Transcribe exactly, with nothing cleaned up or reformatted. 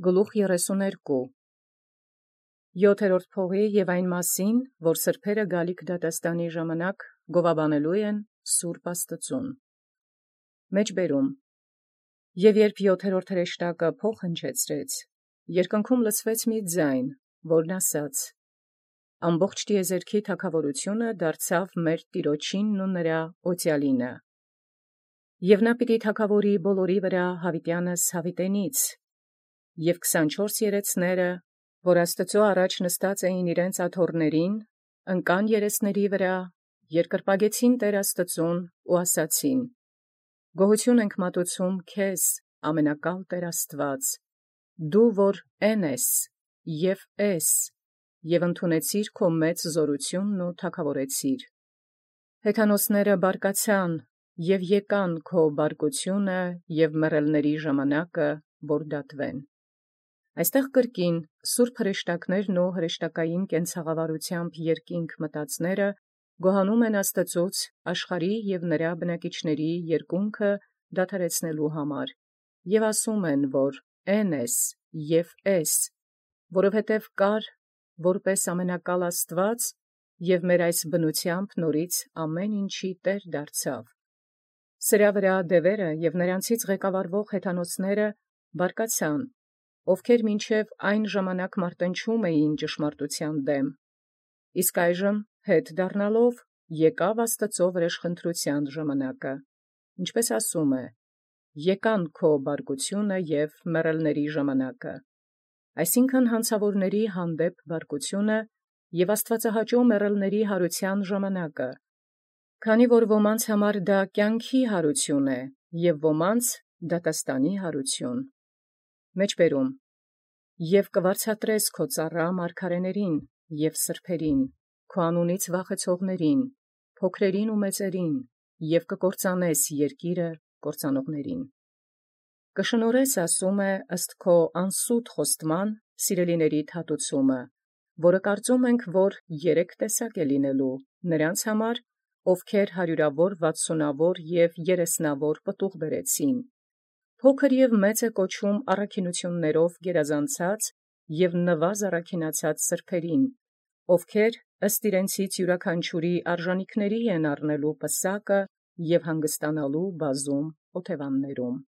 Գլուխ երեսուներկու Յոթերորդ փողի և այն մասին, որ սրբերը գալիք դատաստանի ժամանակ գովաբանելու են Սուրբ Աստուծուն։ Մեջբերում Եւ երբ յոթերորդ հրեշտակը փոխ հնչեցրեց, երկնքում լսվեց մի ձայն, որն ասաց. «Ամբողջ տիեզերքի թագաւորութիւնը դարձավ մեր Տիրոջինն ու նրա Օծյալինը, և նա պիտի թագաւորի բոլորի վրա յաւիտեանս յաւիտենից, և քսանչորս երեցները, որ Աստուծոյ առաջ նստած էին իրենց աթոռացն, ընկան երեսների վրա, երկրպագեցին Տէր Աստուծուն ու ասացին. «Գոհութիւն ենք մատուցում քեզ, ամենակալ Տէր Աստուած, դու որ էն ես և ես, և ընդունեցիր քո մեծ զօրութիւնն ու թագաւորեցիր։ Հեթանոսաց բարկացան և եկան քո բարկութիւնը և մեռելոցն ժամանակը, որ դատվեն»։ Այստեղ կրկին սուրբ հրեշտակներն ու հրեշտակային կենցաղավարութեամբ երկինք մտածները գոհանում են Աստուծոյ աշխարհի և նրա բնակիչացն երկունքը դադարեցնելու համար, և ասում են, որ «Էն ես և ես», որովհետև կար որպէս ամենակալ Աստուած և մեր այս բնութեամբ նորից ամեն ինչի Տէր դարձավ։ Սրա վրա դևերը և նրանցից ղեկավարվող հեթանոսները բարկացան, ովքեր մինչև այն ժամանակ մարտնչում էին ճշմարտութեան դեմ, իսկ այժմ հետ դառնալով եկավ Աստուծոյ վրէժխնդրութեան ժամանակը, ինչպէս ասում է. «Եկան քո բարկութիւնը և մեռելոցն ժամանակը», այսինքն յանցաւորացն հանդեպ բարկութիւնը և աստուածահաճոյ մեռելոցն յարութեան ժամանակը, քանի որ ոմանց համար դա կենքի յարութիւն է, և ոմանց դատաստանի յարութիւն։ Մեջբերում Եւ կվարձատրես քո ծառայ մարգարէիցն և սրբոցն, քո անունից վախեցողացն, փոքրերին ու մեծերին, և կկործանես երկիրը կործանողացն։ Կշնորհես, ասում է, ըստ քո անսուտ խոստման սիրելիներիդ հատուցումը, որը կարծում ենք, որ երեք տեսակ է լինելու նրանց համար, ովքեր հարյուրավոր, վաթսունավոր և երեսնավոր պտուղ բերեցին, փոքր և մեծ է կոչում առաքինութիւնացն գերազանցած և նուազ առաքինացած սրբոցն, ովքեր ըստ իրենցից յիւրաքանչիւրի արժանիքն են առնելու պսակը և հանգստանալու բազում օթևանաց։